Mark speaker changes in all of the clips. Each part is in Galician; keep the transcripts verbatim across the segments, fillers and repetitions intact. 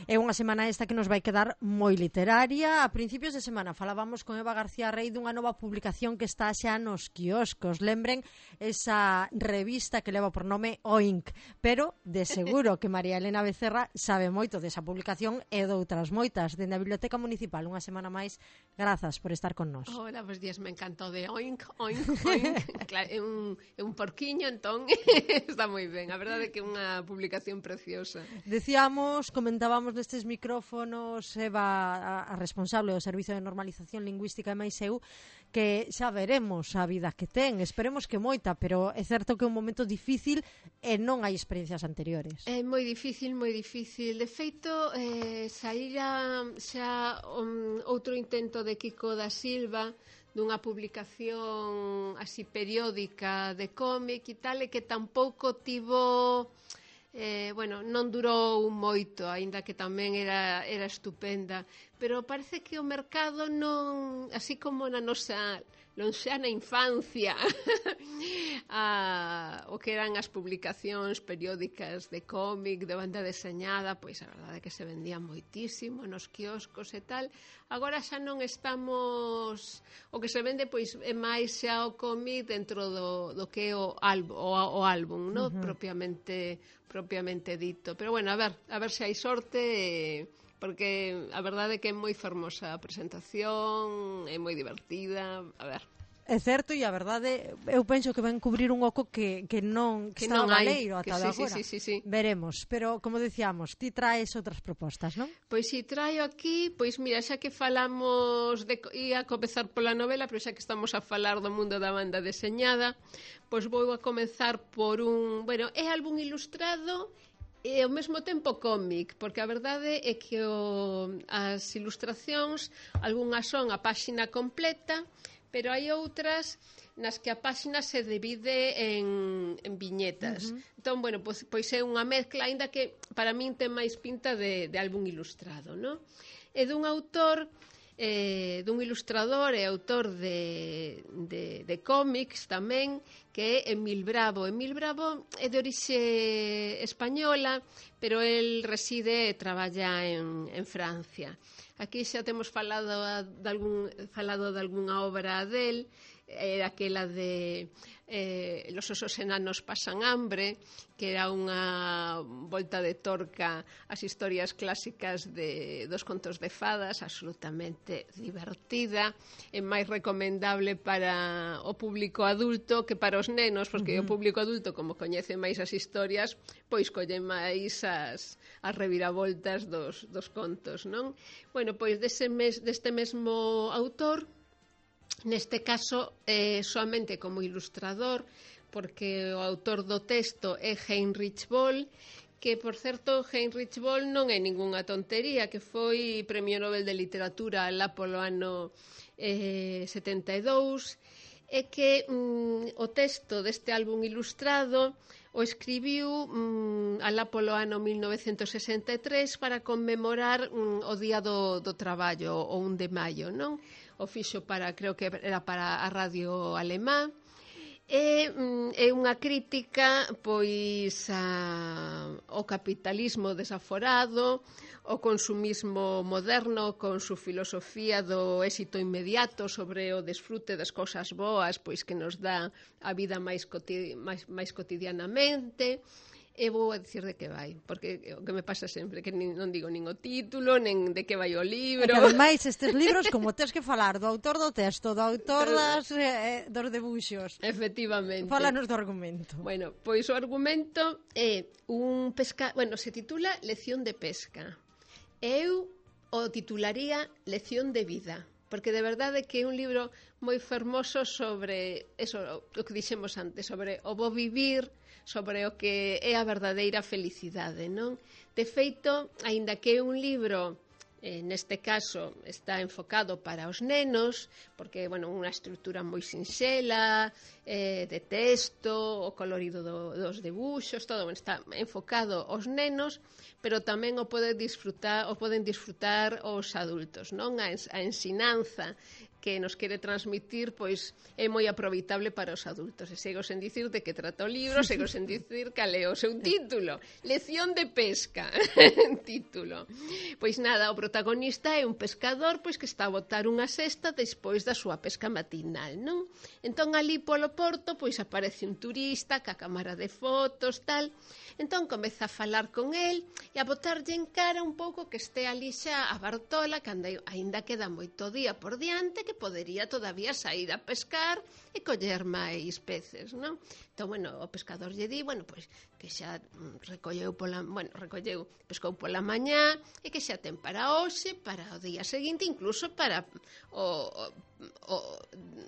Speaker 1: É unha semana esta que nos vai quedar moi literaria. A principios de semana falábamos con Eva García Rey dunha nova publicación que está xa nos quioscos. Lembren esa revista que leva por nome Oink, pero de seguro que María Elena Becerra sabe moito desa publicación e doutras moitas. Dende a Biblioteca Municipal, unha semana máis, grazas por estar con nós.
Speaker 2: Hola, bos días, me encantó de Oink, Oink, Oink. Claro, é un, é un porquiño, entón está moi ben. A verdade é que é unha publicación preciosa.
Speaker 1: Decíamos, comentábamos nestes micrófonos, Eva, a, a responsable do Servizo de Normalización Lingüística e máis eu, que xa veremos a vida que ten, esperemos que moita, pero é certo que é un momento difícil e non hai experiencias anteriores.
Speaker 2: É moi difícil, moi difícil. De feito, eh, saíra xa um, outro intento de Kiko da Silva dunha publicación así periódica de cómic e tal, e que tampouco tivo... Eh, bueno, non durou moito, aínda que tamén era, era estupenda, pero parece que o mercado non, así como na nosa lonxana infancia, a, o que eran as publicacións periódicas de cómic, de banda deseñada, pois a verdade é que se vendía moitísimo nos quioscos e tal. Agora xa non estamos, o que se vende pois é máis xa o cómic dentro do, do que é o, álbum, o, o álbum, no? Uh-huh. propiamente propiamente dito. Pero bueno, a ver, a ver se hai sorte, eh, porque a verdade é que é moi fermosa a presentación, é moi divertida, a ver.
Speaker 1: É certo, e a verdade, eu penso que van cubrir un oco que, que non que, que está non valeiro ata
Speaker 2: sí,
Speaker 1: agora.
Speaker 2: Sí, sí, sí, sí.
Speaker 1: Veremos, pero como decíamos, ti traes outras propostas, non?
Speaker 2: Pois si traio aquí, pois mira, xa que falamos de, ia a comezar pola novela, pero xa que estamos a falar do mundo da banda deseñada, pois vou a comezar por un, bueno, é álbum ilustrado e ao mesmo tempo cómic, porque a verdade é que o, as ilustracións, algunhas son a páxina completa, pero hai outras nas que a páxina se divide en, en viñetas. Uh-huh. Entón, bueno, pois, pois é unha mezcla, aínda que para min ten máis pinta de, de álbum ilustrado, non? É dun autor, eh, dun ilustrador e autor de, de, de cómics tamén, que é Emil Bravo. Emil Bravo é de orixe española, pero el reside e traballa en, en Francia. Aquí xa temos falado de, algún, falado de algunha obra del, era aquela de eh, Los osos enanos pasan hambre, que era unha volta de torca ás historias clásicas de, dos contos de fadas, absolutamente divertida, e máis recomendable para o público adulto que para os nenos, porque uh-huh. o público adulto, como coñece máis as historias, pois colle máis as, as reviravoltas dos, dos contos, non? Bueno, pois dese mes, deste mesmo autor, neste caso, eh, soamente como ilustrador, porque o autor do texto é Heinrich Böll, que, por certo, Heinrich Böll non é ningunha tontería, que foi Premio Nobel de Literatura lá polo ano eh, setenta e dous, e que mm, o texto deste álbum ilustrado o escribiu mm, alá polo ano mil novecentos sesenta e tres para conmemorar mm, o Día do, do Traballo, o un de maio, non? O fixo para, creo que era para a radio alemá, e mm, é unha crítica pois a, ao capitalismo desaforado, o consumismo moderno con su filosofía do éxito inmediato sobre o desfrute das cousas boas pois que nos dá a vida máis, coti máis, máis cotidianamente. E vou a dicir de que vai, porque o que me pasa sempre, que nin, non digo nin o título, nen de que vai o libro.
Speaker 1: E que ademais estes libros, como tens que falar do autor do texto, do autor das, eh, dos debuxos.
Speaker 2: Efectivamente.
Speaker 1: Fálanos do argumento.
Speaker 2: Bueno, pois o argumento é un pesca... Bueno, se titula Lección de pesca. Eu o titularía Lección de vida, porque de verdade que é un libro moi fermoso sobre eso, o que dixemos antes, sobre o bo vivir, sobre o que é a verdadeira felicidade, non? De feito, aínda que é un libro, eh, neste caso, está enfocado para os nenos, porque, bueno, unha estrutura moi sinxela, eh, de texto, o colorido do, dos debuxos, todo, bueno, está enfocado aos nenos, pero tamén o poden disfrutar, o poden disfrutar os adultos, non? A, a ensinanza que nos quere transmitir, pois é moi aproveitable para os adultos. E sigo sen dicir de que trata o libro, sigo sen dicir cal é o seu título. Lección de pesca, título. Pois nada, o protagonista é un pescador pois que está a botar unha cesta despois da súa pesca matinal, non? Entón, ali polo porto, pois aparece un turista ca cámara de fotos, tal. Entón, comeza a falar con el e a botarlle en cara un pouco que este ali xa a Bartola, que aínda queda moito día por diante, que podería todavía sair a pescar e coller máis peces, non? Entón, bueno, o pescador lle di, bueno, pois, que xa recolleu pola, bueno, recolleu, pescou pola mañá e que xa ten para hoxe, para o día seguinte, incluso para o, o, o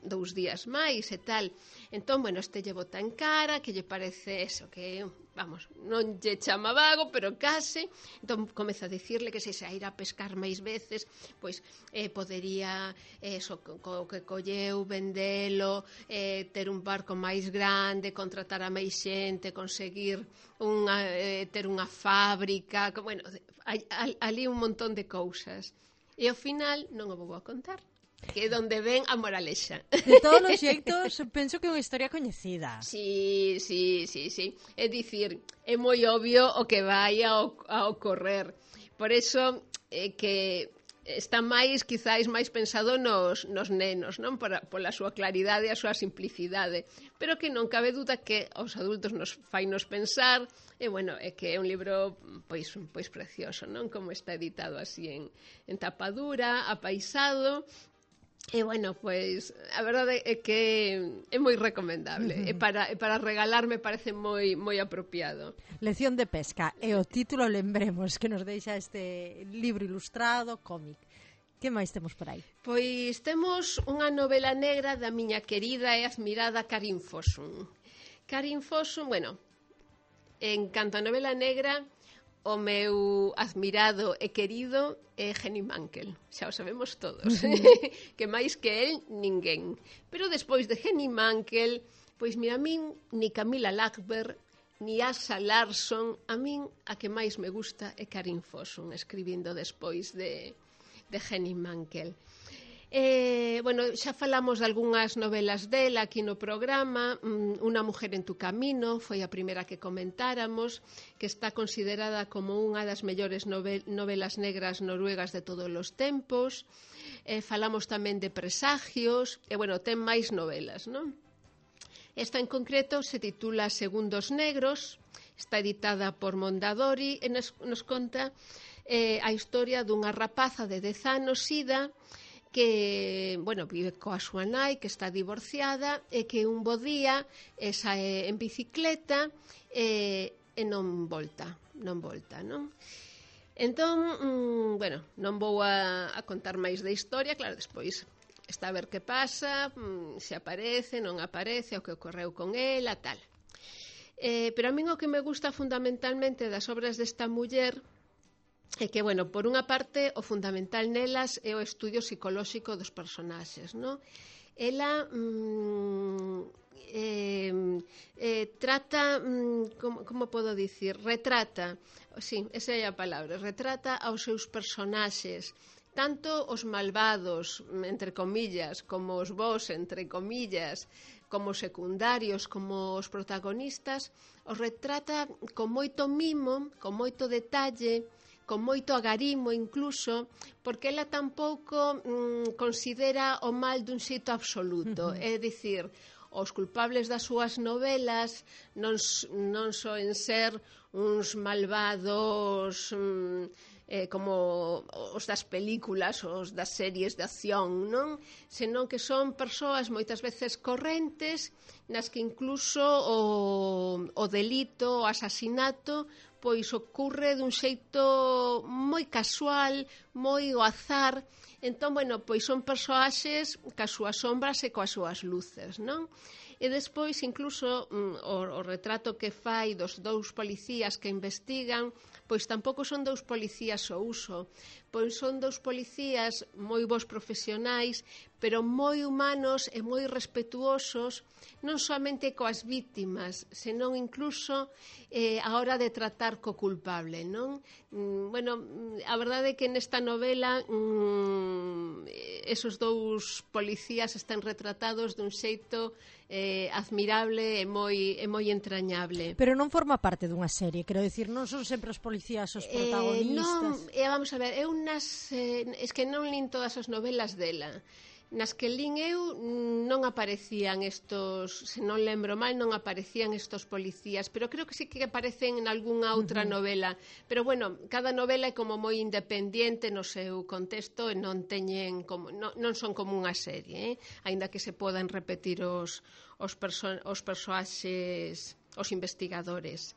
Speaker 2: dous días máis e tal. Entón, bueno, este lle bota en cara que lle parece eso, que, vamos, non lle chama vago, pero case. Entón, comeza a dicirle que se xa irá a pescar máis veces, pois, eh, podería, eso, co que colleu, vendelo, eh, ter un barco máis grande, contratar a máis xente, conseguir unha, eh, ter unha fábrica, que, bueno, hai, ali un montón de cousas. E ao final non o vou a contar, que é donde ven a moralexa.
Speaker 1: De todos os xeitos, penso que é unha historia coñecida.
Speaker 2: Sí, sí, sí, sí. É dicir, é moi obvio o que vai a, a ocorrer. Por eso, é que está máis, quizáis, máis pensado nos, nos nenos, non? Por, pola súa claridade e a súa simplicidade. Pero que non cabe duda que aos adultos nos fai nos pensar, e, bueno, é que é un libro, pois, pois precioso, non? Como está editado así en, en tapadura, apaisado. E, bueno, pois, a verdade é que é moi recomendable. Uh-huh. E para, e para regalar me parece moi moi apropiado.
Speaker 1: Lección de pesca. E o título, lembremos, que nos deixa este libro ilustrado, cómic. Que máis temos por aí?
Speaker 2: Pois temos unha novela negra da miña querida e admirada Karin Fossum. Karin Fossum, bueno, en canto a novela negra, o meu admirado e querido é Henning Mankell, xa o sabemos todos, que máis que el, ninguén. Pero despois de Henning Mankell, pois mira, a min, ni Camilla Lackberg, ni Asa Larsson, a min a que máis me gusta é Karin Fossum, escribindo despois de, de Henning Mankell. Eh, bueno, xa falamos de algunhas novelas dela aquí no programa. Una mujer en tu camino foi a primeira que comentáramos, que está considerada como unha das mellores novel novelas negras noruegas de todos os tempos. Eh, falamos tamén de Presagios, e, bueno, ten máis novelas, non? Esta en concreto se titula Segundos Negros, está editada por Mondadori e nos, nos conta eh, a historia dunha rapaza de dez anos, Ida, que, bueno, vive coa súa nai, que está divorciada, e que un bo día sae en bicicleta e, e non volta, non volta, non? Entón, mmm, bueno, non vou a, a contar máis da historia, claro, despois está a ver que pasa, mmm, se aparece, non aparece, o que ocorreu con ela, tal. Eh, pero a min o que me gusta fundamentalmente das obras desta muller é que, bueno, por unha parte, o fundamental nelas é o estudio psicolóxico dos personaxes, non? Ela mmm, eh, eh, trata, mmm, como, como podo dicir, retrata, sí, esa é a palabra, retrata aos seus personaxes, tanto os malvados, entre comillas, como os bos, entre comillas, como secundarios, como os protagonistas, os retrata con moito mimo, con moito detalle, con moito agarimo incluso, porque ela tampouco mm, considera o mal dun xeito absoluto. Uh-huh. É dicir, os culpables das súas novelas non, non soen ser uns malvados mm, eh, como os das películas, os das series de acción, non? Senón que son persoas moitas veces correntes, nas que incluso o, o delito, o asasinato, pois ocorre dun xeito moi casual, moi ao azar. Entón, bueno, pois son persoaxes cas súas sombras e coas súas luces, non? E despois, incluso, o, o retrato que fai dos dous policías que investigan, pois tampouco son dous policías ao uso, pois son dous policías moi bons profesionais, pero moi humanos e moi respetuosos, non somente coas vítimas, senón incluso eh, a hora de tratar co culpable, non? Mm, bueno, a verdade é que nesta novela mm, esos dous policías están retratados dun xeito eh, admirable e moi, e moi entrañable.
Speaker 1: Pero non forma parte dunha serie, quero dicir, non son sempre os policías os protagonistas.
Speaker 2: Eh, non, eh, vamos a ver, eu nas, eh, es que non lin todas as novelas dela. Nas que lin eu non aparecían estos, se non lembro mal, non aparecían estos policías, pero creo que sí que aparecen en algunha outra uh-huh. novela. Pero bueno, cada novela é como moi independiente no seu contexto e non teñen como, non, non son como unha serie, eh? Aínda que se podan repetir os, os, perso os persoaxes, os investigadores.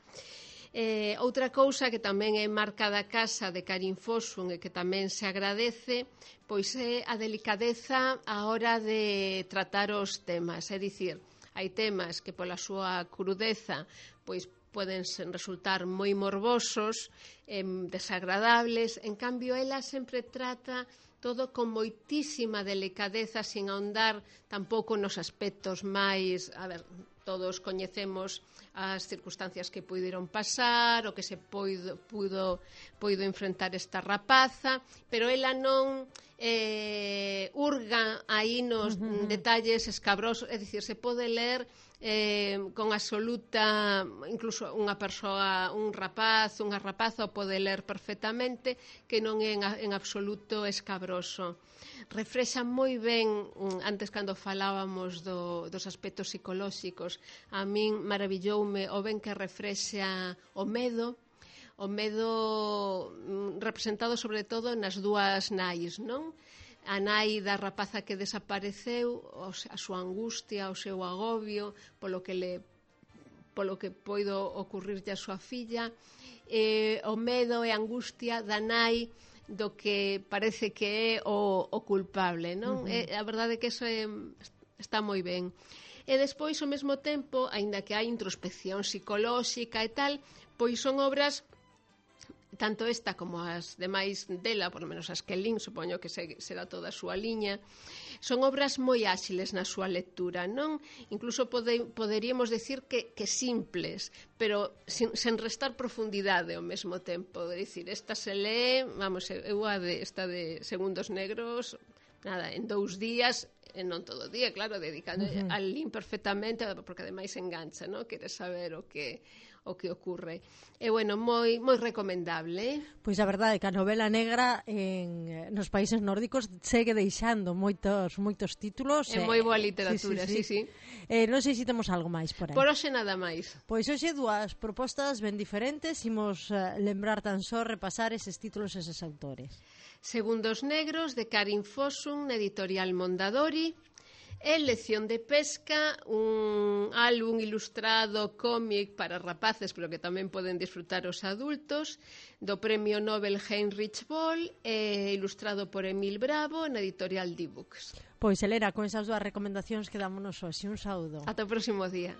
Speaker 2: Eh, outra cousa que tamén é marca da casa de Karin Fosun e que tamén se agradece, pois é a delicadeza á hora de tratar os temas. É dicir, hai temas que pola súa crudeza pois poden resultar moi morbosos, eh, desagradables, en cambio ela sempre trata todo con moitísima delicadeza, sin ahondar tampouco nos aspectos máis, a ver, todos coñecemos as circunstancias que puideron pasar, o que se puido, puido, puido enfrentar esta rapaza, pero ela non eh, urga aí nos uh-huh. detalles escabrosos, é dicir, se pode ler eh, con absoluta, incluso unha persoa, un rapaz, unha rapaza o pode ler perfectamente, que non é en, en absoluto escabroso. Refrexa moi ben, antes cando falábamos do, dos aspectos psicolóxicos, a min maravilloume o ben que refrexa o medo, o medo representado sobre todo nas dúas nais, non? A nai da rapaza que desapareceu, a súa angustia, o seu agobio, polo que le polo que poido ocurrirlle a súa filla, e o medo e a angustia da nai do que parece que é o, o culpable, non? Uh-huh. E, a verdade é que eso é, está moi ben. E despois, ao mesmo tempo, aínda que hai introspección psicolóxica e tal, pois son obras, tanto esta como as demais dela, por lo menos as que lin, supoño que será toda a súa liña, son obras moi áxiles na súa lectura, non? Incluso pode, poderíamos decir que, que simples, pero sin, sen restar profundidade ao mesmo tempo. É dicir, esta se lee, vamos, eu a de, esta de Segundos Negros, nada, en dous días, e non todo o día, claro, dedicando uh-huh. al lin perfectamente, porque ademais engancha, non? Queres saber o que o que ocurre. E, bueno, moi moi recomendable. Eh?
Speaker 1: Pois a verdade é que a novela negra en, nos países nórdicos segue deixando moitos moitos títulos.
Speaker 2: É eh, moi boa literatura, sí, sí. sí, sí.
Speaker 1: Eh, non sei se temos algo máis por aí.
Speaker 2: Por hoxe nada máis.
Speaker 1: Pois hoxe dúas propostas ben diferentes, imos uh, lembrar tan só repasar eses títulos e eses autores.
Speaker 2: Segundos Negros, de Karin Fosun, na editorial Mondadori. E Lección de Pesca, un álbum ilustrado cómic para rapaces, pero que tamén poden disfrutar os adultos, do Premio Nobel Heinrich Böll, e ilustrado por Emil Bravo, na editorial D-Books.
Speaker 1: Pois, Elena, con esas dúas recomendacións quedámonos hoxe. Un saúdo.
Speaker 2: Ata o próximo día.